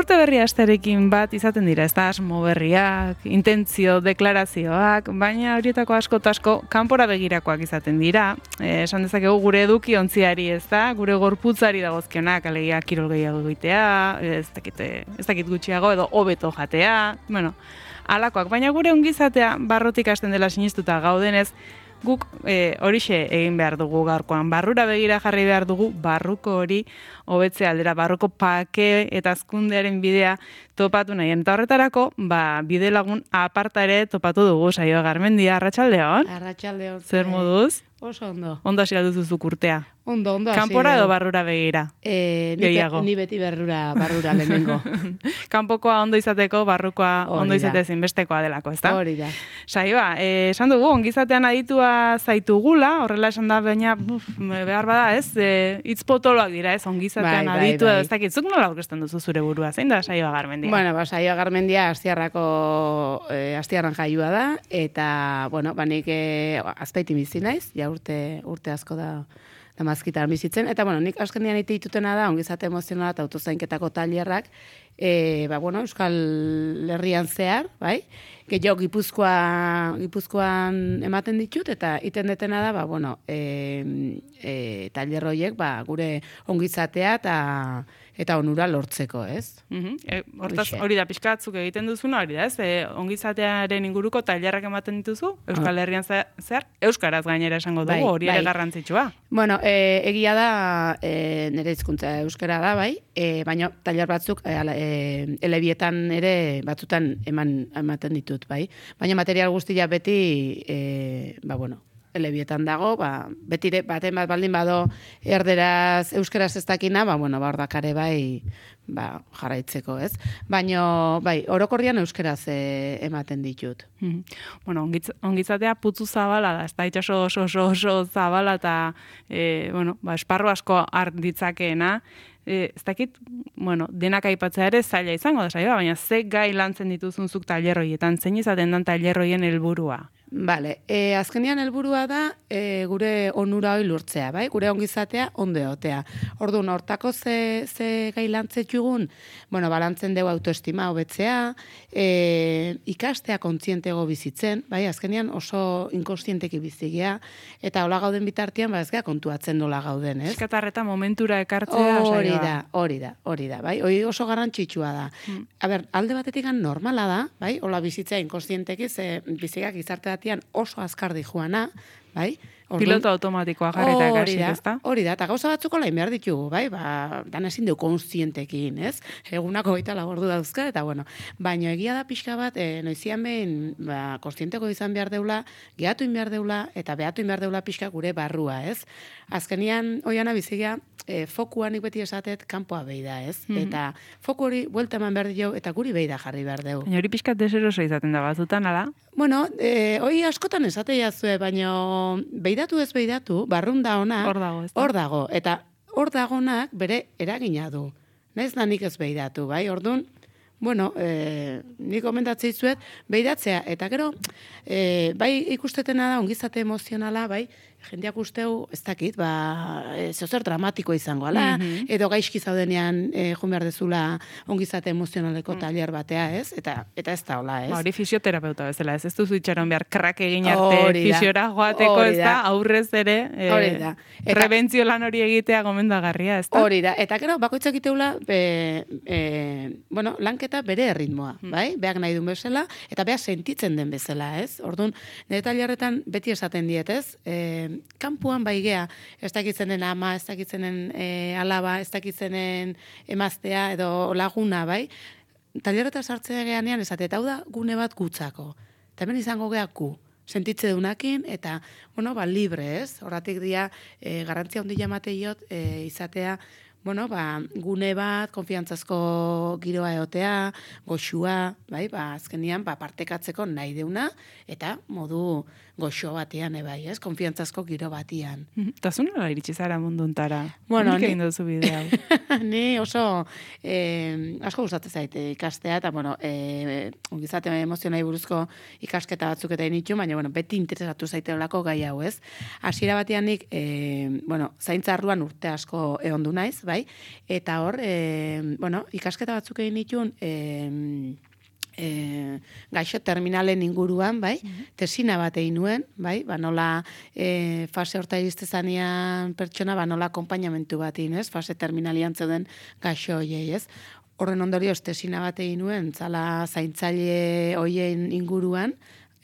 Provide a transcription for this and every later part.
urte berri asterekin bat izaten dira, ez da asmo berriak, intentzio, deklarazioak, baina horietako asko eta asko kanpora begirakoak izaten dira. Esan dezakegu gure eduki ontziari, ez da, gure gorputzari dagozkionak, alegia kirol gehiago egitea, ez dakit gutxiago edo hobeto jatea, bueno, alakoak, baina gure ongizatea barrutik hasten dela sinistuta gaudenez, guk horixe egin behar dugu gaurkoan. Barrura begira jarri behar dugu, barruko hori hobetzea aldera, barruko pake eta hazkundearen bidea topatu nahien. Eta horretarako, bide lagun aparta ere topatu dugu, Saioa Garmendia, arratsaldeon. Arratsaldeon. Zer moduz? Oso ondo. Ondo hasi duzuzuk urtea. Ondo. Kanpora edo barrura begira? Ni beti barrura lehenengo. Kanpokoa ondo izateko, barrukoa ondo izate zinbestekoa delako, ezta? Hori da. Saioa, esan dugu, ongizatean aditua zaitugula, horrela esan da, baina behar bada, ez? Hitz potoloak dira, ez? Ongizatean aditua, ez dakit, zuk nola aurkezten duzu zure burua, zein da Saioa Garmendia? Bueno, Saioa Garmendia Astiarran jaioa da, eta, bueno, nik Azpeitin bizi naiz, ja urte asko da mazkitan bizitzen, eta, bueno, nik azkenean ite ditutena da, ongizate emozionala eta autozainketako tailerrak, Euskal Herrian zehar, bai? Gehiago Gipuzkoan ematen ditut, eta iten detena da, tailer horiek, gure ongizatea eta onura lortzeko, ez? Hortaz, hori da pixkatzuk egiten duzuna, hori da, ez? Ongizatearen inguruko tailerrak ematen dituzu, Euskal Herrian zehar, euskaraz gainera esango dugu, hori ere garrantzitsua. Bueno, egia da, nire hizkuntza euskara da, bai, baina tailer batzuk elebietan ere batzutan ematen ditut, bai. Baina material guztia beti, elebietan dago, betire baten bat baldin bado erderaz euskaraz ez dakina, hor dakare bai, jarraitzeko, ez? Baina, orokorrian euskaraz ematen ditut. Bueno, ongitzatea putzu zabala da, ez da itxaso oso zabala eta, esparru asko hart ditzakeena, ez dakit, denak aipatzea ere zaila izango da Saioa, baina ze gai lantzen dituzun zuk tailerroietan, zein izaten dan tailerroien helburua? Bale, azkenean helburua da gure onura hori lortzea, bai? Gure ongizatea ondo egotea. Orduan, hortako ze gai lantzetxugun, balantzen dugu autoestima hobetzea, ikastea kontzientego bizitzen, bai? Azkenean oso inkonstienteki bizigea, eta hola gauden bitartean, ez gea kontuatzen nola gauden, ez? Eskatarreta momentura ekartzea, Saioa. Hori da, bai? Hori oso garrantzitsua da. Alde batetik normala da, bai? Hola bizitzea inkonstienteki, ze bizigak gizarte oso azkardi joana, bai? Piloto automatikoa jarrita ekasik, ezta? Hori da, eta gauza batzuk olain behar ditugu, bai? Dan ezin dugu konstientekin, ez? Egunako 24 ordu dauzka, eta baina egia da pixka bat, noizian behin, konstienteko izan behar deula, gehatu behar deula, eta behatu behar deula pixka gure barrua, ez? Azkenian, oiana bizigia, fokua nik beti esatet, kanpoa behi da, ez? Eta foku hori buelta eman behar dio, eta guri behi da jarri behar dugu. Baina hori pixkat deseroso izaten da batzutan, ala? Bueno, hori askotan esate jazue, baina beidatu ez beidatu, barrun da ona, hor dago, eta hor dagonak bere eragina du. Naiz da nik ez beidatu, bai? Orduan, nik komendatzei zuet, beidatzea, eta gero, bai ikustetena da, ongizate emozionala, bai, jendeak usteu, ez dakit, zozer dramatiko izango, ala, edo gaizki zaudenean joan behar dezula ongizate emozionaleko tailer batea, ez? Eta ez da, hola, ez? Hori fisioterapeuta bezala, ez duzu itxaron behar krak egin arte fisiora joateko, ez da, aurrez ere, prebentzio lan hori egitea gomendagarria, ez da? Hori da, eta gero, bakoitzak iteula, lanketa bere erritmoa, bai? Beak nahi duen bezala, eta beak sentitzen den bezala, ez? Orduan, nire tailerretan beti esaten diet, ez? Kanpuan bai gea, ez dakitzenen ama, ez dakitzenen alaba, ez dakitzenen emaztea edo laguna, bai? Tailerreta sartzea geanean esate, eta hau da gune bat gutzako. Eta hemen izango gea gu, sentitze dunakin, eta, libre, ez? Horratik dia, garrantzia hondi jamateiot, izatea, gune bat, konfiantzazko giroa egotea, goxua, bai, azkenian, partekatzeko nahi deuna, eta modu goxo batean, bai, ez, konfiantzazko giro batean. Eta zu nola iritsi zara munduntara? Nik egin duzu bidea. Ni oso, asko gustatzen zaite ikastea, eta, ongizate emozionai buruzko ikasketa batzuk eta initu, baina, beti interesatu zaitelako gai hau, ez? Hasiera batean nik, zaintza arloan urte asko egondu naiz, bai? bai? Eta hor, ikasketa batzuk egin nituen, gaixo terminalen inguruan, bai, tesina bat egin nuen, bai, nola fase horta iriste pertsona, nola akompainamentu bat egin, ez, fase terminalian zeuden gaixo hoiei, ez. Horren ondorioz tesina bat egin nuen, zala zaintzaile hoien inguruan,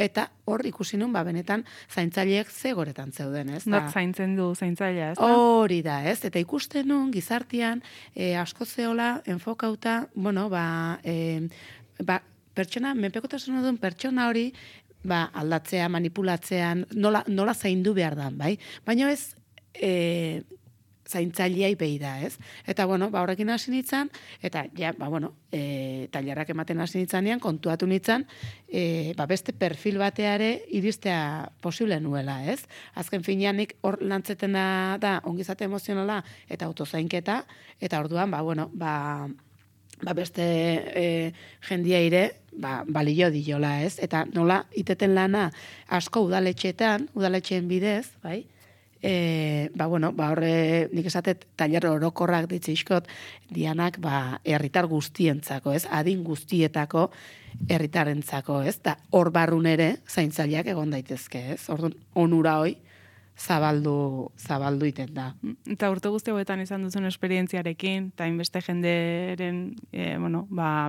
eta hor ikusi nun, benetan zaintzaileek ze goretan zeuden, ez. Not zaintzen du zaintzailea, ez da? Hori da, ez, eta ikusten nun, gizartean, asko zeola, enfokauta, pertsona, menpekotasuna duen pertsona hori, aldatzea, manipulatzean, nola zaindu behar da, bai? Baina ez, zaintzaileai behi da, ez? Eta, horrekin hasi nintzen, eta, tailerrak ematen hasi nintzanean, kontuatu nintzen, beste perfil bateare iristea posible nuela, ez? Azken fineanik hor lantzetena da, ongizate emozionala, eta autozainketa, eta orduan, beste jendia ire, balio diola, ez? Eta nola iteten lana asko udaletxeen bidez, bai? Horre, nik esatet, tailer orokorrak ditzizkot, dianak, herritar guztientzako, ez? Adin guztietako herritarentzako, ez? Da, hor barrun ere, zaintzaileak egon daitezke, ez? Orduan, onura hoi, zabaldu iten da. Eta urte guzti hauetan izan duzun esperientziarekin, eta inbeste jenderen,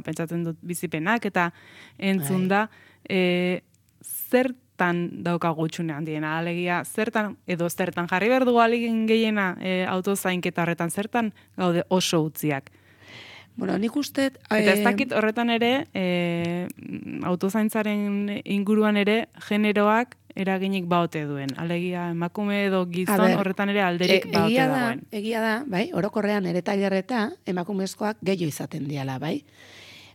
pentsatzen dut bizipenak, eta entzun da, zertan daukagu txune handiena, alegia, zertan jarri behar dugu alegin gehiena autozainketa horretan, zertan gaude oso utziak. Nik uste... Eta ez dakit horretan ere, autozaintzaren inguruan ere, generoak eraginik baote duen. Alegia, emakume edo gizon horretan ere alderik baote dagoen. Egia da, bai, orokorrean ere tailerreta emakumezkoak gehiago izaten diala, bai.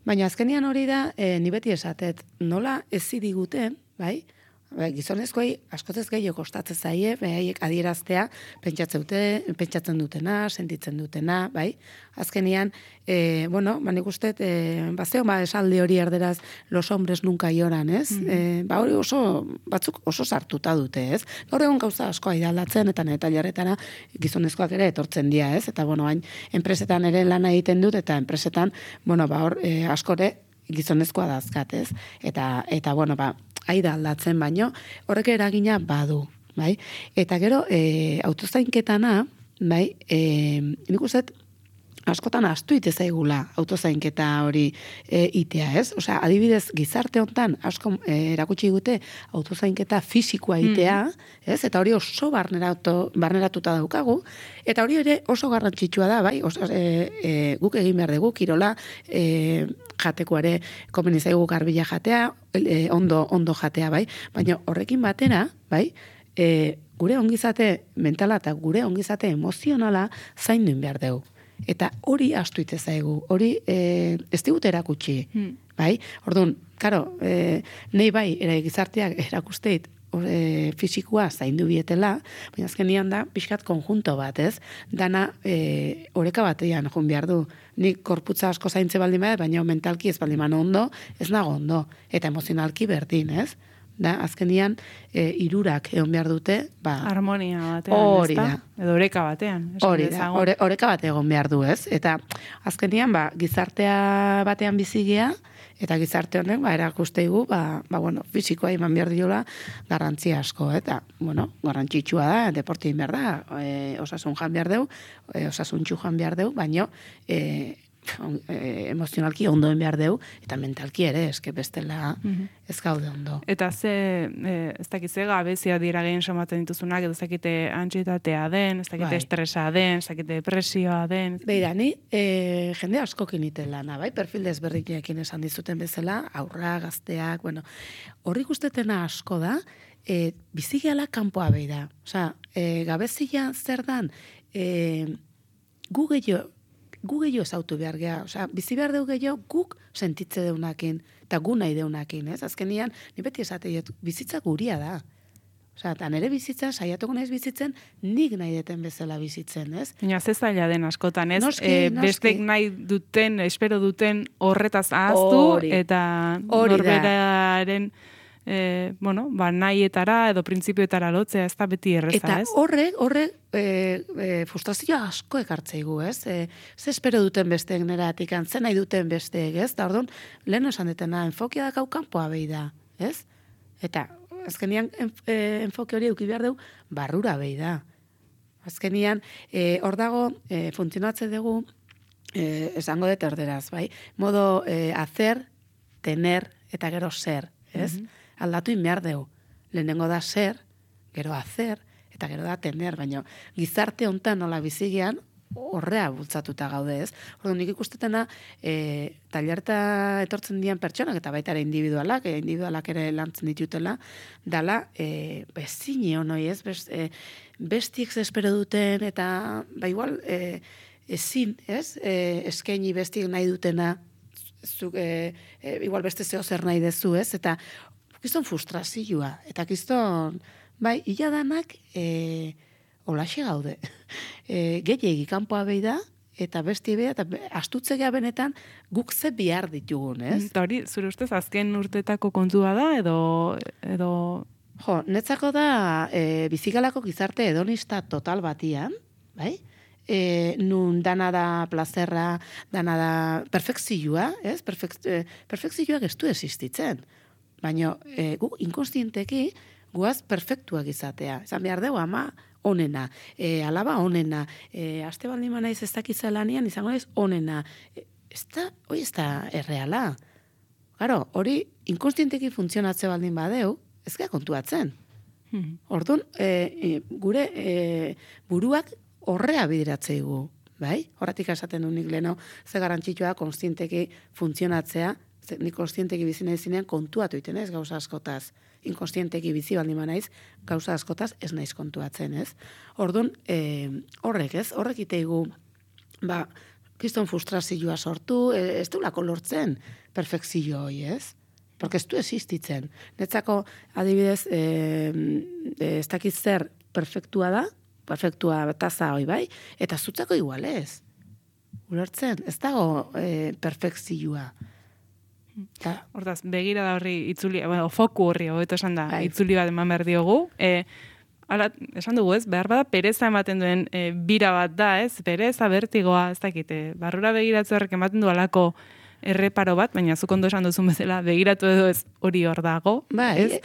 Baina azkenian hori da, ni beti esatet, nola ezi diguten, bai, gizonezkoei askotez gehiago kostatzen zaie, behaiek adieraztea pentsatzen dutena, sentitzen dutena, bai? Azkenian, nik uste, esaldi hori erderaz, los hombres nunca lloran, ez? Hori batzuk oso sartuta dute, ez? Gaur egun gauza asko aidaldatzen, eta neta jarretara gizonezkoak ere etortzen dira, ez? Eta, hain, enpresetan ere lana egiten dut, eta enpresetan, askore gizonezkoa dazkat, ez? Eta aida aldatzen baino, horrek eragina badu, bai? Eta gero, autozainketana, bai, nik uste, askotan astu ite zaigula autozainketa hori itea, ez? Osea, adibidez, gizarte hontan asko erakutsi gute autozainketa fisikoa itea, ez? Eta hori oso barneratuta daukagu, eta hori ere oso garrantzitsua da, bai? Guk egin behar dugu, kirola, jatekoare komeni zaigu garbila jatea, ondo jatea, bai? Baina horrekin batera, bai? Gure ongizate mentala eta gure ongizate emozionala zainduin behar dugu. Eta hori astu ite zaigu, hori ez digut erakutsi, bai? Orduan, karo, nahi bai, gizarteak erakusteit fisikoa zaindu bietela, baina azkenian da, pixkat konjunto bat, ez? Dana oreka batean joan behar du. Nik korputza asko zaintze baldin bada, baina mentalki ez baldin bada ondo, ez nago ondo. Eta emozionalki berdin, ez? Da, azkenian, hirurak egon behar dute, harmonia batean, hori da. Edo oreka batean. Hori da, oreka bat egon behar du, ez? Eta azkenian, gizartea batean bizigea, eta gizarte honek, erakusteigu, fisikoa iman behar diola garrantzia asko, eta, garrantzitsua da, deporti behar da, osasun jan behar deu, osasun txujan behar deu, baina emozionalki ondoen behar deu, eta mentalki ere, eske bestela ez gaude ondo. Eta ez dakit ze gabezia dira gehien somaten dituzunak, edo ez dakite antsietatea den, ez dakite estresa den, ez dakite depresioa den. Beira, ni jende askokin iten lana, bai? Perfil desberdinekin esan dizuten bezala, aurra, gazteak, horrik ustetena asko da, bizigeala kanpoa beira. Osa, gabezia zer dan, gu gehiago ezautu behar geha. Osa, bizi behar dugu gehiago guk sentitze deunakin, eta gu nahi deunakin, ez? Azkenian, ni beti esateiet, bizitza guria da. Osa, eta nire bizitza, saiatuko naiz bizitzen, nik nahi deten bezala bizitzen, ez? Baina, ze zaila den askotan, ez? Noski. Bestek nahi duten, espero duten horretaz ahaztu, eta norberaren nahietara edo printzipioetara lotzea, ez da beti erreza, eta ez? Horrek frustrazioa asko ekartzeigu, ez? Ze espero duten besteek neratik, ze nahi duten besteek, ez? Da orduan, lehen esan detena, enfokia dakau kanpoa behi da, ez? Eta azkenian enfoke hori eduki behar dugu, barrura behi da. Azkenian, hor dago, funtzionatze dugu, esango dut erderaz, bai? Modo hacer, tener, eta gero ser, ez? Aldatu inbehar dugu. Lehenengo da ser, gero hacer, eta gero da tener, baina gizarte hontan nola bizigian, horrea bultzatuta gaude, ez? Orduan, nik ikustetena, tailerta etortzen dian pertsonak, eta baita ere individualak ere lantzen ditutela, dala, bezine honoi, ez? Bestiek espero duten, eta, igual, ezin, ez? Eskaini bestiek nahi dutena, igual beste zeo zer nahi dezu, ez? Eta, kiston frustrazioa, eta kiston, illa danak, olaxe gaude. Gehiegi kanpoa behi da, eta besti beha, eta astutzea benetan guk ze behar ditugun, ez? Eta hori, zure ustez, azken urtetako kontua da, edo... Jo, netzako da bizikalako gizarte hedonista total batian, bai? Nun dana da plazerra, dana da perfekzioa, ez? Perfekzioak ez du existitzen. Baina gu inkonstienteki guaz perfektuak izatea. Esan behar dugu, ama onena, alaba onena, aste baldin manaiz ez dakitza lanian, izango naiz onena. Hori ez da erreala. Garo, hori inkonstienteki funtzionatze baldin badeu, ez gara kontuatzen. Orduan, gure buruak horrea bidiratzeigu, bai? Horratik esaten du nik leno, ze garrantzitsua konstienteki funtzionatzea, nik konstienteki bizi nahi zinean kontuatu iten ez gauza askotaz. Inkonstienteki bizi baldin naiz gauza askotaz ez naiz kontuatzen, ez? Orduan, horrek iteigu, kiston frustrazioa sortu, ez duelako lortzen perfekzio hoi, ez? Porque ez du existitzen. Netzako, adibidez, ez dakit zer perfektua da, perfektua taza hoi bai, eta zutzako igual ez. Ulertzen, ez dago perfekzioa. Hortaz, begira da horri itzuli, foku horri, hobeto esan da, itzuli bat eman behar diogu. Hala, esan dugu ez, behar bada pereza ematen duen bira bat da, ez? Pereza, bertigoa, ez dakite, barrura begiratzu horrek ematen du alako erreparo bat, baina zuk ondo esan duzun bezala, begiratu edo ez hori hor dago, ez?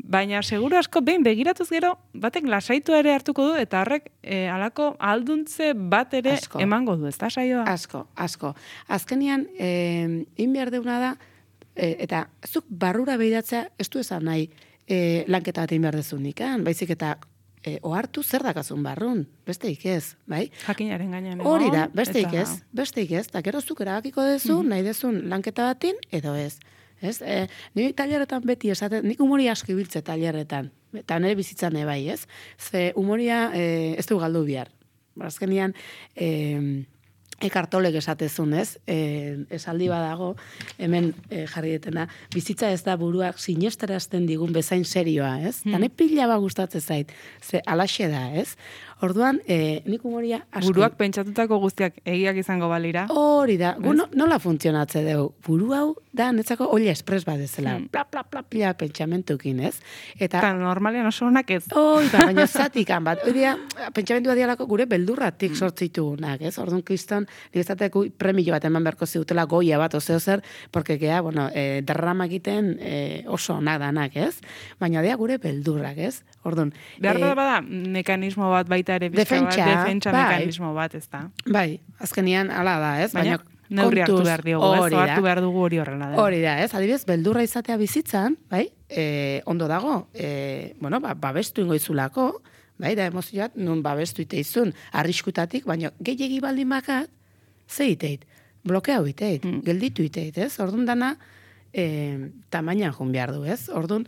Baina seguru asko, behin begiratuz gero, batek lasaitu ere hartuko du, eta horrek alako alduntze bat ere emango du, ez da saioa? Asko. Azkenian, behar deuna da, eta zuk barrura behiratzea ez du esan nahi lanketa bat behar dezunik, baizik eta ohartu zer dakazun barrun, besteik ez, bai? Jakinaren gainean. Hori da, besteik ez, eta gero zuk erabakiko dezu, nahi dezun lanketa batin, edo ez. Ni tailerretan beti esaten, nik humoria asko ibiltze tailerretan, eta nire bizitzan bai, ez? Ze humoria ez du galdu bihar. Azkenian, ekartolek esatezun, ez? Esaldi badago, hemen jarri detena, bizitza ez da buruak sinesterazten digun bezain serioa, ez? Tane pila ba gustatzen zait, ze alaxe da, ez? Orduan, nik humoria asko... Buruak pentsatutako guztiak egiak izango balira. Hori da, nola funtzionatze dugu? Buru hau da, netzako olla espres bat ezela, pila pentsamentukin, ez? Eta normalean oso honak ez. Baina zatikan bat. Hori da, pentsamentu badialako gure beldurratik sortzitugunak, ez? Orduan kriston, nik ezateko premio bat eman beharko ziutela goia bat, ozeo zer, porque gea, drama egiten oso onak danak, ez? Baina dea gure beldurrak, ez? Orduan... Behar bada, mekanismo bat baita ere, defentsa mekanismo bat, ez da? Bai, azkenian ala da, ez? Baina neurri hartu behar diogu, ez? Hartu behar dugu hori horrela da. Hori da, ez? Adibidez, beldurra izatea bizitzan, bai? Ondo dago, babestu ingoizulako, bai? Da emozioat, nun babestu iteizun, arriskutatik, baina gehiagi baldin bakat, ze iteit? Blokeau iteit, gelditu iteit, ez? Orduan dana, tamainan jun behar du, ez? Orduan,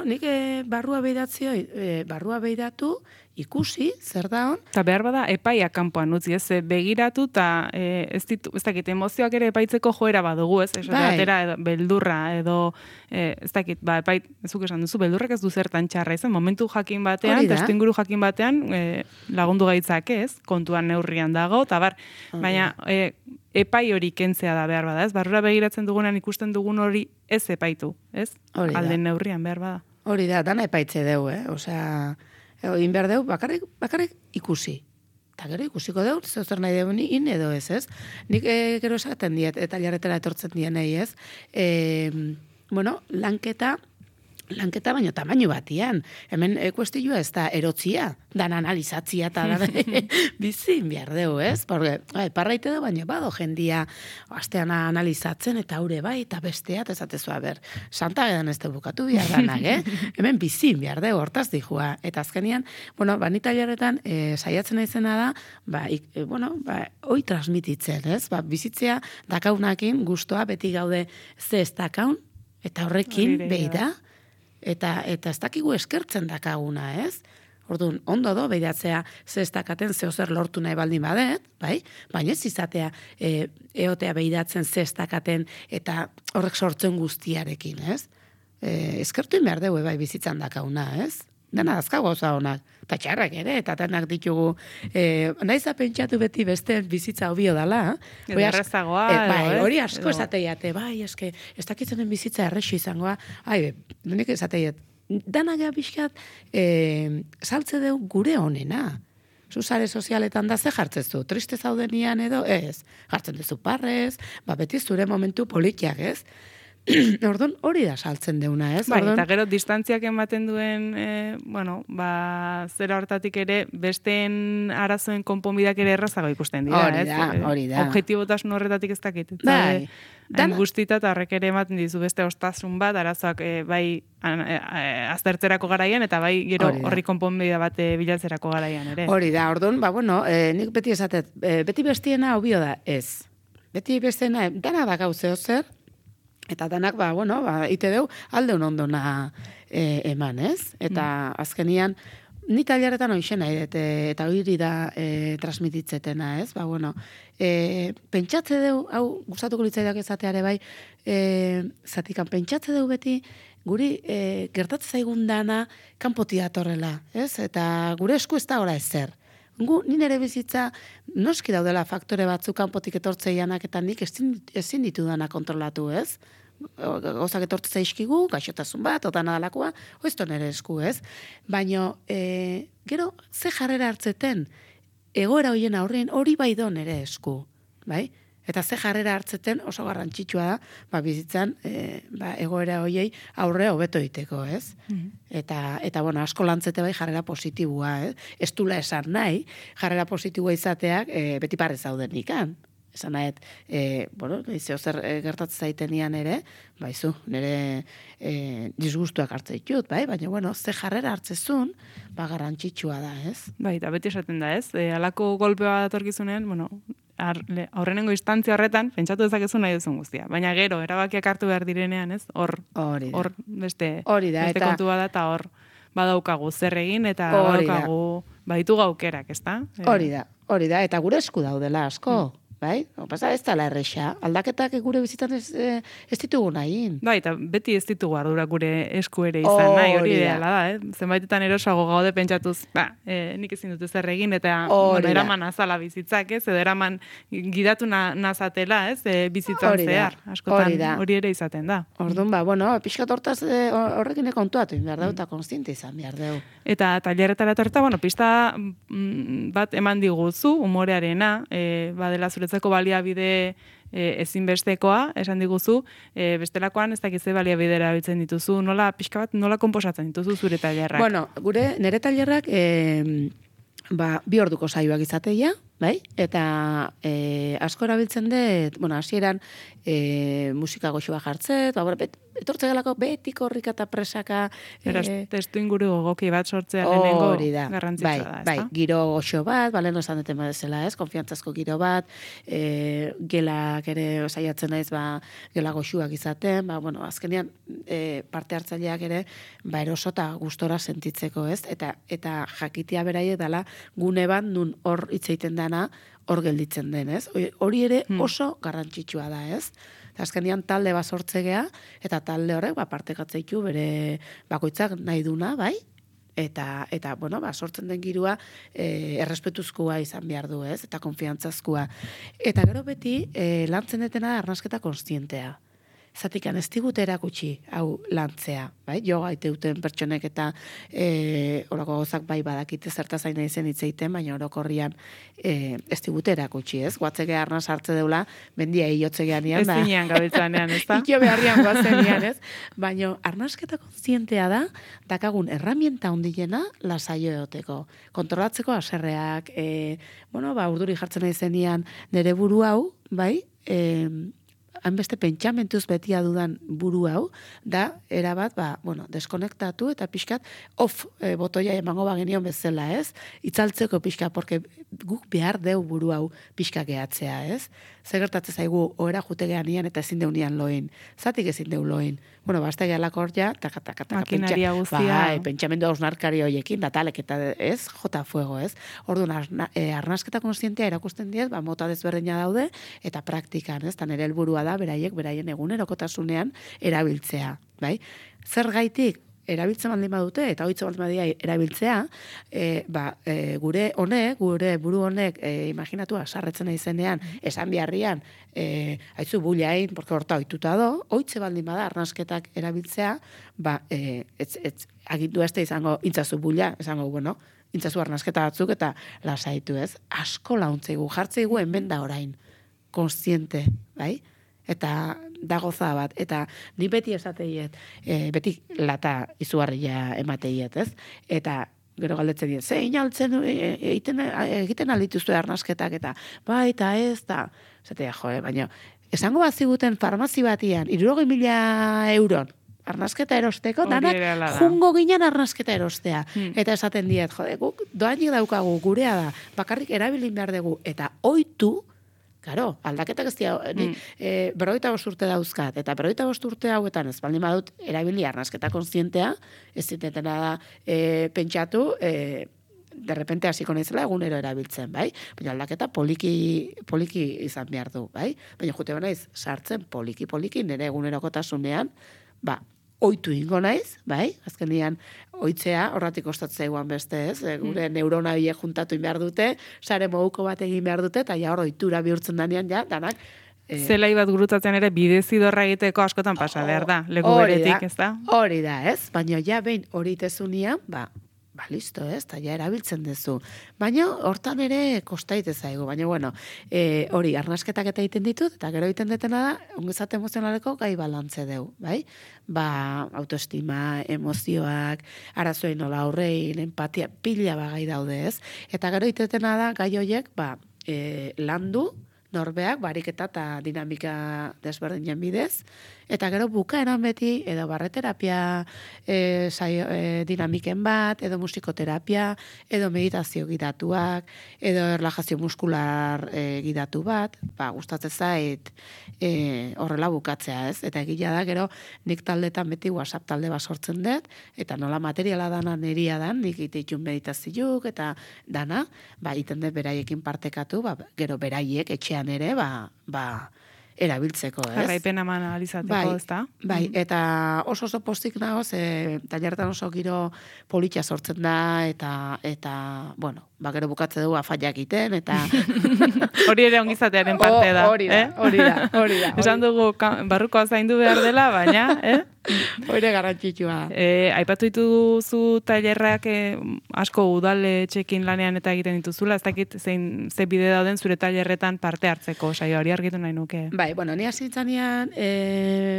nik barrua behiratu, ikusi, zer da hon. Eta behar bada epaia kanpoan utzi, ez? Begiratu eta ez dakit, emozioak ere epaitzeko joera badugu, ez? Atera edo beldurra, edo ez dakit, epait, ezuk esan duzu, beldurrak ez du zertan txarra izan, momentu jakin batean, testuinguru jakin batean lagundu gaitzak, ez? Kontuan neurrian dago, eta baina epai hori kentzea da behar bada, ez? Barrura begiratzen dugunan ikusten dugun hori ez epaitu, ez? Alden neurrian behar bada. Hori da, dana epaitze deu, Osea, egin behar deu, bakarrik ikusi. Eta gero ikusiko deu, zer nahi deu in edo ez? Nik gero esaten diet, eta jarretera etortzen dienei, ez? Lanketa baino tamaino batian. Hemen kuestioa ez da erotzia, dan analizatzia eta bizin behar deu, ez? Porque, parraite da, baina bado jendia astean analizatzen eta haure bai, eta besteat ezatezua ber. Santa edan ez bukatu behar danak, Hemen bizin behar deu, hortaz dijua. Eta azkenian, nita jarretan saiatzen naizena da, hoi transmititzen, ez? Bizitzea dakaunakin guztua beti gaude ze ez dakaun, eta horrekin behi da. Eta ez dakigu eskertzen dakaguna, ez? Orduan, ondo do, behidatzea ze ez dakaten zehozer lortu nahi baldin badet, bai? Baina ez izatea eotea behidatzen ze ez dakaten eta horrek sortzen guztiarekin, ez? Eskertu behar dugu, bai, bizitzan dakaguna, ez? Dena azka gauza honak, eta txarrak ere, eta denak ditugu, naiza pentsatu beti beste bizitza hobio dala. Errezagoa. Hori asko esateiate, bai, eske, ez dakitzenen bizitza errexo izangoa, denik esateiat, danak pixkat, saltze deu gure honena. Zuzare sozialetan da ze jartzezu, triste zaudenian edo, ez, jartzen duzu parrez, beti zure momentu politiak, ez? Orduan, hori da saltzen deuna, ez? Bai, eta gero distantziak ematen duen, zera hortatik ere, besteen arazoen konponbidak ere errazago ikusten dira, ez? Hori da. Objektibotasun horretatik ez dakit. Bai. Guztita eta horrek ere ematen dizu beste ostasun bat, arazoak bai aztertzerako garaian, eta bai gero horri konponbidea bat bilatzerako garaian ere. Hori da, orduan, nik beti esatet, beti bestiena hobio da, ez. Beti bestiena, dana da gauzeo zer, eta danak, ite deu, aldeun ondona eman, ez? Eta azkenian, ni taileretan hoixen nahi, eta hori da transmititzetena, ez? Pentsatze deu, hau gustatuko litzaidak ezateare bai, zatikan, pentsatze deu beti, guri gertatzen zaigun dana kanpotik datorrela, ez? Eta gure esku ez da ora ezer. Ni nire bizitza noski daudela faktore batzuk kanpotik etortzeianak eta nik ezin ditu dana kontrolatu, ez? Gauzak etortze zaizkigu, gaixotasun bat, otan adalakoa, oizto nire esku, ez? Baina, gero, ze jarrera hartzeten, egoera hoien aurrean hori bai do nire esku, bai? Eta ze jarrera hartzeten oso garrantzitsua da, bizitzan, egoera hoiei aurre hobeto egiteko, ez? Eta asko lantzete bai jarrera positibua, ez? Ez dula esan nahi, jarrera positibua izateak beti parez zauden ikan. Esan nahet, zer gertatzen zaitenian ere, nire disgustuak hartze ditut, baina, ze jarrera hartzezun, garrantzitsua da, ez? Bai, eta beti esaten da, ez? Halako golpea datorkizunean, aurrenengo instantzia horretan, pentsatu dezakezu nahi duzun guztia. Baina gero, erabakiak hartu behar direnean, ez? Hor beste kontua da, eta hor badaukagu zer egin, eta badaukagu baditu gaukerak, ez da? Hori da, eta gure esku daudela asko. Bai? Pasa ez dala erresa. Aldaketak gure bizitan ez ditugu nahin. Bai, eta beti ez ditugu ardura gure esku ere izan nahi, hori ideala da, Zenbaitetan erosago gaude pentsatuz, nik ezin dut zer egin, eta eraman azala bizitzak, ez? Edo eraman gidatu nazatela, ez? Bizitzan zehar. Askotan hori ere izaten da. Orduan, pixkat hortaz horrekin kontuatu behar dau, eta konstiente izan behar dau. Eta tailerretara etorreta, pista bat eman diguzu, umorearena, badela zuretzako baliabide ezinbestekoa, esan diguzu, bestelakoan ez dakize baliabidera bitzen dituzu, pixka bat, nola konposatzen dituzu zure tailerrak? Nire tailerrak, 2 orduko saioak izateia, bai? Eta asko erabiltzen dut, hasieran musika goxua jartzet, etortze galako beti korrika eta presaka. Beraz, testu inguru gogoki bat sortzea lehenengo garrantzitsua da, ez da? Bai, giro goxo bat, lehen esan duten badezela, ez? Konfiantzazko giro bat, gelak ere saiatzen naiz, gela goxuak izaten, azkenean parte hartzaileak ere, eroso eta gustora sentitzeko, ez? Eta jakitea beraiek dela gune bat nun hor hitz egiten dana hor gelditzen den, ez? Hori ere oso garrantzitsua da, ez? Azkenean talde bat sortzegea, eta talde horrek partekatzeitu bere bakoitzak nahi duna, bai? Eta bueno, sortzen den girua errespetuzkoa izan behar du, ez? Eta konfiantzazkoa. Eta gero beti, lantzen detena arnasketa konstientea. Zatikan ez digute erakutsi hau lantzea, bai? Joga iteuten pertsonek eta orako gozak bai badakite zertaz aina izen hitzeiten, baina orokorrian ez digute erakutsi, ez? Guatzeke arnaz hartze deula, mendia iotzegean ez zinean gabiltzanean, ez da? Ito beharrian guazenean, ez? Baina arnasketa kontzientea da, dakagun herramienta handiena lasaio egoteko. Kontrolatzeko haserreak, urduri jartzen nahi zenian nire buru hau, bai? Hanbeste pentsamentuz betia dudan buru hau, da, erabat, deskonektatu eta pixkat off botoia emango bagenion bezala, ez? Itzaltzeko pixka, porque guk behar deu buru hau pixka gehatzea, ez? Zegertatze zaigu, ohera jute geanian eta ezin deunian loin. Zatik ezin deu loin. Basta gehalako hor ja, makinaria guztia. Pentsamendu hausnarkari hoiekin, datalek eta ez, jota fuego, ez? Orduan, arnasketa konstientea erakusten diez, mota desberdina daude, eta praktikan, ez? Tan ere helburua da, beraien egunerokotasunean erabiltzea, bai? Zer gaitik erabiltzen baldin badute, eta hoitzen baldin badia erabiltzea, gure buru honek, imaginatua, sarretzen izenean, esan biharrian, haitzu bullain, porque horta oituta do, hoitze baldin bada arnasketak erabiltzea, agindu ez da izango, intzazu bulla, esango, intzazu arnasketa batzuk, eta lasaitu ez, asko launtzeigu, jartzeigu hemen da orain, konstiente, bai? Eta da goza bat, eta ni beti esateiet, beti lata izugarria emateiet, ez? Eta gero galdetzen diet, zein altzen egiten alituztu arnasketak, eta eta ez, eta esatea, baina esango baziguten farmazi batian, 60.000 euron, arnasketa erosteko, danak jungo ginen arnasketa erostea. Eta esaten diet, guk doainik daukagu, gurea da, bakarrik erabilin behar dugu, eta oitu, claro, aldaketak ez dira, 45 urte dauzkat, eta 45 urte hauetan ez baldin badut erabili arnasketa konstientea, ez zitetena da pentsatu, de repente hasiko naizela egunero erabiltzen, bai? Baina aldaketa poliki izan behar du, bai? Baina jute naiz sartzen poliki nire egunerokotasunean, oitu ingo naiz, bai? Azkenian oitzea horratik ostatzea iguan beste, ez? Gure neurona biek juntatu behar dute, sare moduko bat egin behar dute, eta ja hor oitura bihurtzen danean, ja, danak. Zelai bat gurutzatzen ere bidezidorra egiteko askotan pasa behar da, leku beretik, ez da? Hori da, ez? Baina ja behin hori tezunia, listo, ez, eta ja erabiltzen duzu. Baina hortan ere kostaite zaigu, baina hori, arnasketak eta egiten ditut, eta gero egiten detena da, ongizate emozionaleko gai balantze deu, bai? Autoestima, emozioak, arazoen nola aurrein, empatia, pila gai daude, ez? Eta gero egiten detena da, gai horiek, landu, norbeak, bariketa eta dinamika desberdinen bidez, eta gero bukaeran beti, edo barreterapia dinamiken bat, edo musikoterapia, edo meditazio gidatuak, edo erlajazio muskular gidatu bat, gustatzen zait horrela bukatzea, ez? Eta egila da, gero nik taldetan beti WhatsApp talde bat sortzen dut, eta nola materiala dana neria dan, nik ititun meditazioak, eta dana, iten dut beraiekin partekatu, gero beraiek etxean ere, erabiltzeko, ez? Jarraipen eman analizateko, ez da? Bai, eta oso postik nagoz, tailerretan oso giro politxa sortzen da, eta gero bukatze dugu afaiak iten, eta... Hori ere ongizatearen parte da. Hori da. Esan dugu, barrukoa zaindu behar dela, baina, Hori garrantzitsua. Aipatu dituzu tailerrak asko udaletxekin lanean eta egiten dituzula, ez dakit ze bide dauden zure tailerretan parte hartzeko, saio hori argitu nahi nuke. Ni hasi nintzanean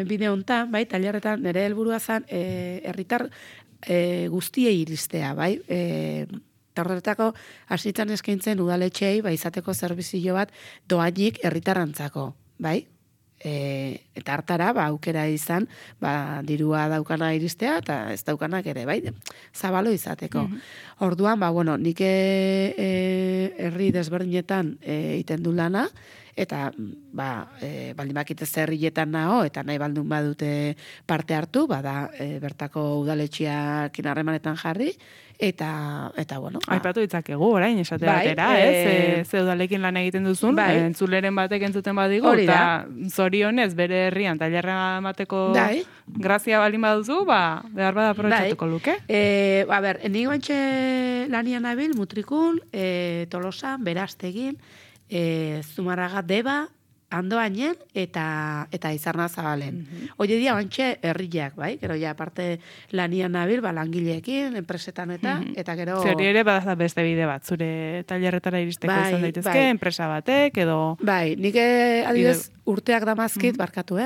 bide hontan, tailerretan nire helburua zen herritar guztiei iristea, bai? Eta horretako hasitzen eskaintzen udaletxeei izateko zerbizio bat doainik herritarrantzako, bai? Eta hartara, aukera izan, dirua daukana iristea, eta ez daukanak ere, bai? Zabalo izateko. Orduan, nik herri desberdinetan egiten du lana, eta baldin bakite zerrietan nago, eta nahi baldun badute parte hartu, bada bertako udaletxiakin harremanetan jarri, eta bueno. Aipatu ditzakegu, orain, esate batera, ze udalekin lan egiten duzun, entzuleren batek entzuten badigu, eta zorionez bere herrian tailerra emateko grazia balin baduzu, behar bada aprobetxatuko luke. Nik bantxe lanian nabil, Mutrikun, Tolosan, Berastegin, Zumarraga, Deba, Andoainen eta Izarna Zabalen. Oie dia bantxe herriak, bai? Gero ja aparte lanian nabil, langileekin, enpresetan eta gero... Zeri ere badaz beste bide bat, zure tailerretara iristeko izan daitezke, enpresa batek, edo... Nik adibidez urteak damazkit, barkatu,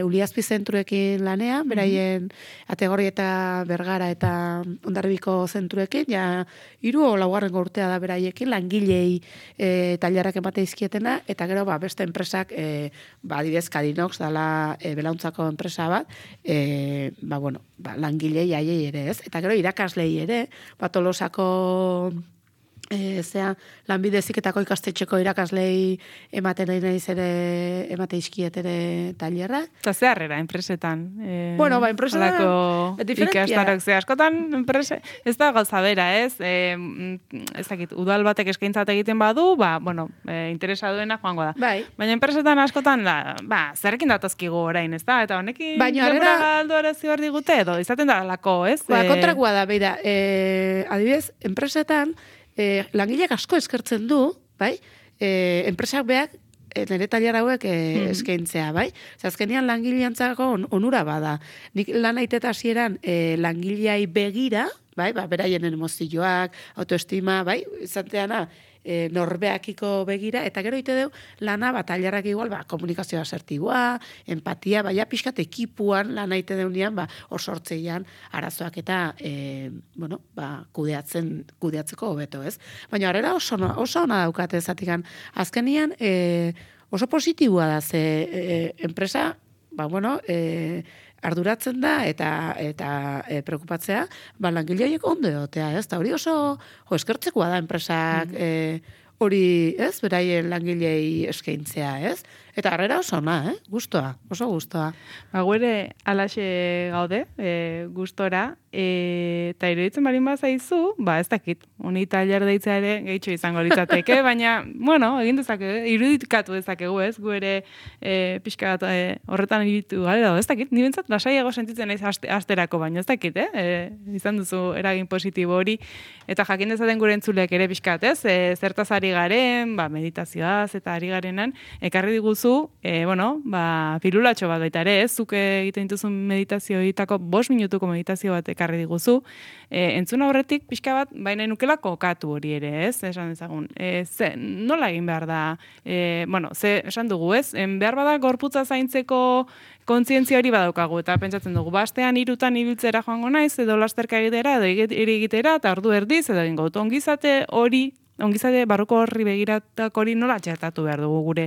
Uliazpi zentruekin lanean, beraien Ategorri eta Bergara eta Hondarribiko zentruekin, ja, 3 o 4 urtea da beraiekin, langilei tailerrak emate izkietena, eta gero beste enpresak, adibidez Kadinox dala belauntzako enpresa bat, langilei aiei ere, ez? Eta gero irakaslei ere, Tolosako lanbide heziketako ikastetxeko irakaslei ematen naiz ere emate izkiet ere tailerra. Eta ze harrera enpresetan? Enpresetan ikastarok ze askotan enprese, ez da gauza bera, ez? Ezakit, udal batek eskaintzat egiten badu, interesa duena joango da. Baina enpresetan askotan, zerrekin datazkigu orain, ez da? Eta honekin denbora galdu ere zibar digute, edo izaten da lako, ez? Kontrakua da, beida, adibidez, enpresetan, langileak asko eskertzen du, bai? Enpresak beak nire tailer hauek eskaintzea, bai? Azkenean langileantzako onura bada. Nik lan aiteta hasieran langileai begira, bai? Beraien emozioak, autoestima, bai? Izateana, norbeakiko begira, eta gero ite deu lana tailerrak igual, komunikazioa asertiboa, empatia, pixkat ekipuan lan aite deunean, hor sortzeian arazoak eta, kudeatzeko hobeto, ez? Baina harrera oso ona daukate zatikan. Azkenian, oso positiboa da, ze enpresa, arduratzen da eta preokupatzea, langile horiek ondo egotea, ez? Eta hori oso eskertzekoa da enpresak hori, ez? Beraien langilei eskaintzea, ez? Eta harrera oso ona, Gustoa, oso gustoa. Guere alaxe gaude, gustora, eta iruditzen balin bazaizu, ez dakit, honi tailer deitza ere gehitxo izango litzateke, baina, egin dezake, irudikatu dezakegu, ez? Gu ere pixka bat horretan iritu gara, ez dakit, ni bentsat lasaiago sentitzen naiz asterako, baina ez dakit, izan duzu eragin positibo hori, eta jakin dezaten gure entzuleak ere pixka bat, ez? Zertaz ari garen, meditazioaz eta ari garenan, ekarri diguzu, pilulatxo bat baita ere, ez? Zuk egiten dituzun meditazioetako 5 minutuko meditazio bat ekarri diguzu, entzun aurretik pixka bat, baina nukela kokatu hori ere, ez? Esan dezagun. Nola egin behar da? Esan dugu, ez? Behar bada gorputza zaintzeko kontzientzia hori badaukagu, eta pentsatzen dugu, bastean 3 ibiltzera joango naiz, edo lasterka egitera, edo egitera, eta ordu erdiz, edo ingo, ongizate barruko horri begiratak hori nola txertatu behar dugu gure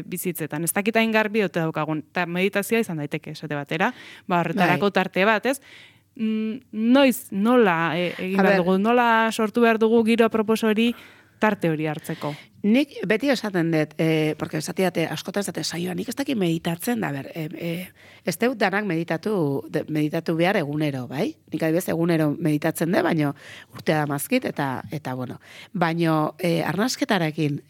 bizitzetan. Ez dakitain garbi ote daukagun, eta meditazioa izan daiteke, esate batera, horretarako tarte bat, ez? Nola egin behar dugu, nola sortu behar dugu giro apropos hori tarte hori hartzeko? Nik beti esaten dut, porque esatiate, askotan esate saioa, nik ez dakit meditatzen, ez dut danak meditatu behar egunero, bai? Nik adibidez egunero meditatzen dut, baino urtea damazkit, eta baino arnasketarekin,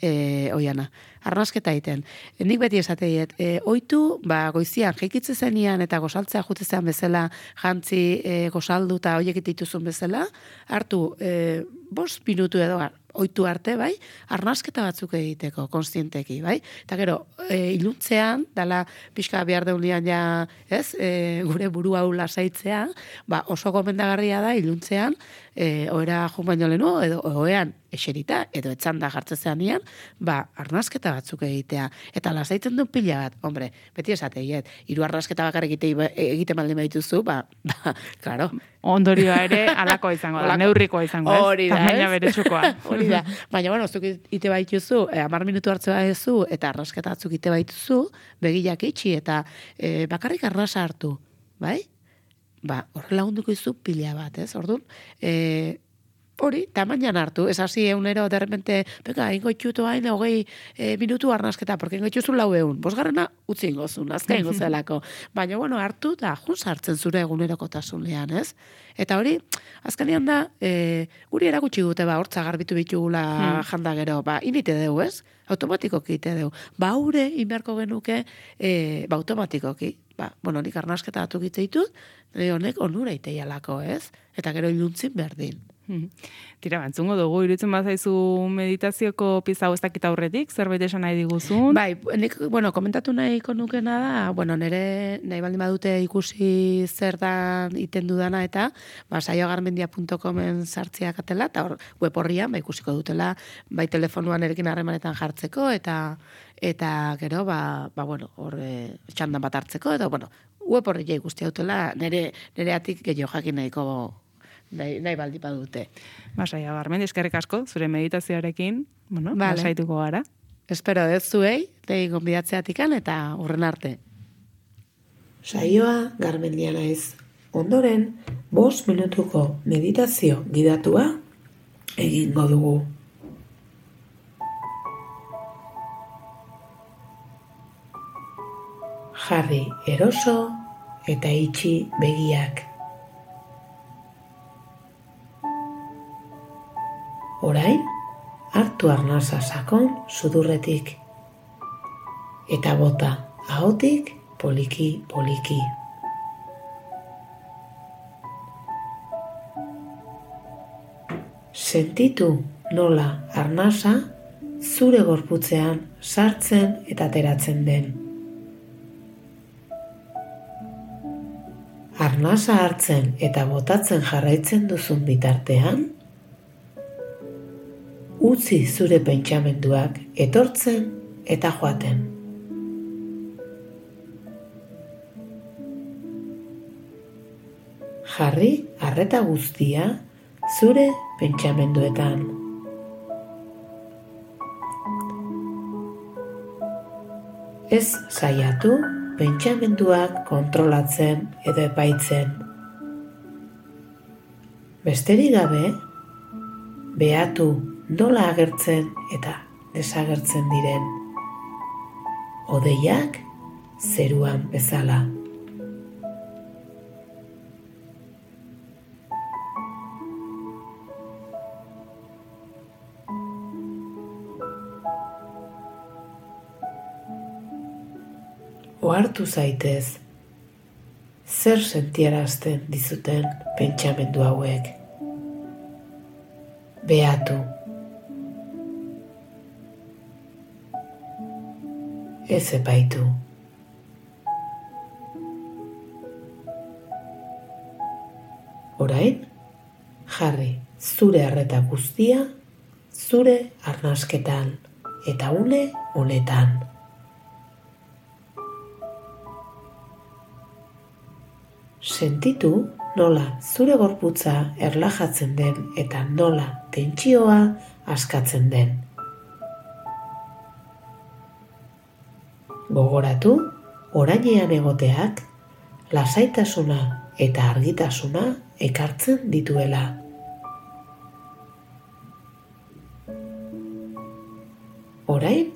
oiana, arnasketa egiten. Nik beti esateiet, oitu, goizian, jeikitze zenian eta gozaltzea jutzean bezala, jantzi gozaldu eta hoiek dituzun bezala, hartu 5 minutu edo oitu arte, bai, arnasketa batzuk egiteko, konstienteki, bai? Eta gero, iluntzean, dala pixka behar deunean ja, ez, gure buru hau lasaitzea, oso gomendagarria da, iluntzean, oera jun baino lehenu, edo oean eserita, edo etzanda jartzezean nian, arnasketa batzuk egitea. Eta lasaitzen duen pila bat, hombre, beti esateiet, 3 arnasketa bakar egite maldin badituzu, claro. Ondorioa ere, alakoa izango da, neurrikoa izango, ez? Hori da, tamaina beretsukoa. Hori da. Baina, zuk ite baituzu, 10 minutu hartze baituzu, eta arnasketa batzuk ite baituzu, begilak itxi, eta bakarrik arnasa hartu, bai? Horrela hunduko izu pila bat, ez? Orduan, hori, tamainan hartu, ez hasi eunero, derrepente, peka, ingo itxutu hain, 20 minutu arnasketa, porque ingo itxuzu 400, bosgarrena utzi ingozun, azka ingozelako. Baina, bueno, hartu da, jun sartzen zure egunerokotasunean, ez? Eta hori, azkenean da, guri erakutsi dute, hortza garbitu bitugula janda gero, inite deu, ez? Automatikoki ite deu. Haure, inberko genuke, automatikoki. Bueno, nik arnasketa batu ditut, honek onura iteialako, ez? Eta gero iluntzin berdin. Tira, bantzungo dugu, irutzen bazaizu meditazioko pizau ez dakit aurretik, zerbait esan nahi diguzun? Bai, nik, komentatu nahiko nukena da, nire nahi baldin badute ikusi zer dan iten dudana eta, saiogarmendia.comen sartziak atela, eta hor, web horrian, ikusiko dutela, bai telefonuan erekin harremanetan jartzeko, eta gero, hor, txandan bat hartzeko, eta, web horri ikusti dutela, nire atik gehiago jakin nahiko nahi baldi badute. Saia Garmendi, eskerrik asko, zure meditazioarekin, lasaituko gara. Espero ez zuei, dei gonbidatzeatikan eta urren arte. Saioa Garmendia naiz. Ondoren, 5 minutuko meditazio gidatua egingo dugu. Jarri eroso eta itxi begiak. Orain, hartu arnasa sakon sudurretik. Eta bota ahotik poliki-poliki. Sentitu nola arnasa zure gorputzean sartzen eta ateratzen den. Arnasa hartzen eta botatzen jarraitzen duzun bitartean, utzi zure pentsamenduak etortzen eta joaten. Jarri arreta guztia zure pentsamenduetan. Ez saiatu pentsamenduak kontrolatzen edo epaitzen. Besterik gabe, behatu nola agertzen eta desagertzen diren. Hodeiak zeruan bezala. Ohartu zaitez, zer sentiarazten dizuten pentsamendu hauek. Behatu. Ez epaitu. Orain, jarri zure arreta guztia, zure arnasketan eta une honetan. Sentitu nola zure gorputza erlajatzen den eta nola tentsioa askatzen den. Gogoratu, orainean egoteak, lasaitasuna eta argitasuna ekartzen dituela. Orain,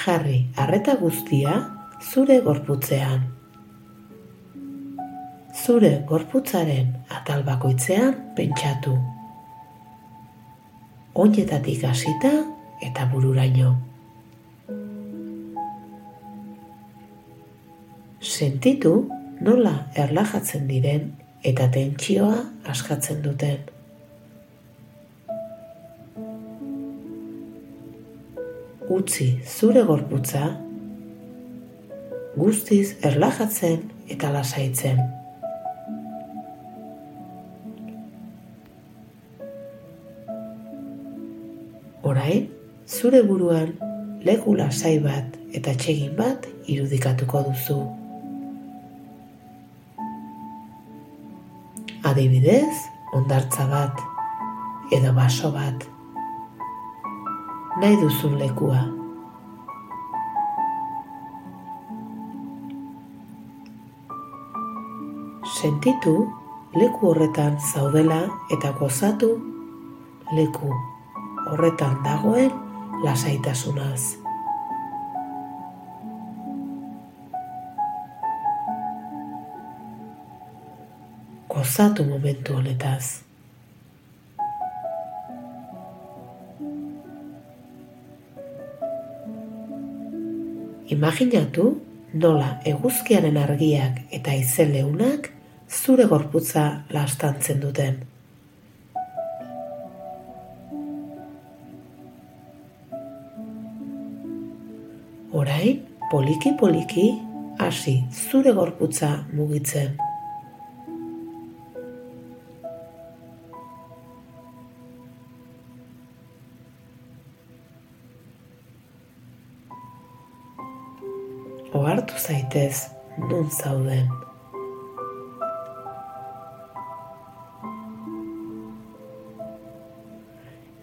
jarri arreta guztia zure gorputzean. Zure gorputzaren atal bakoitzean pentsatu. Oinetatik hasita eta bururaino. Sentitu nola erlajatzen diren eta tentsioa askatzen duten. Utzi zure gorputza guztiz erlajatzen eta lasaitzen. Orain, zure buruan leku lasai bat eta atsegin bat irudikatuko duzu. Adibidez, hondartza bat edo baso bat. Nahi duzun lekua. Sentitu leku horretan zaudela eta gozatu leku horretan dagoen lasaitasunaz. Gozatu momentu honetaz. Imaginatu nola eguzkiaren argiak eta haize leunak zure gorputza laztantzen duten. Orain, poliki-poliki hasi zure gorputza mugitzen. Ohartu zaitez non zauden.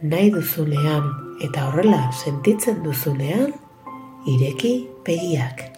Nahi duzunean eta horrela sentitzen duzunean, ireki begiak.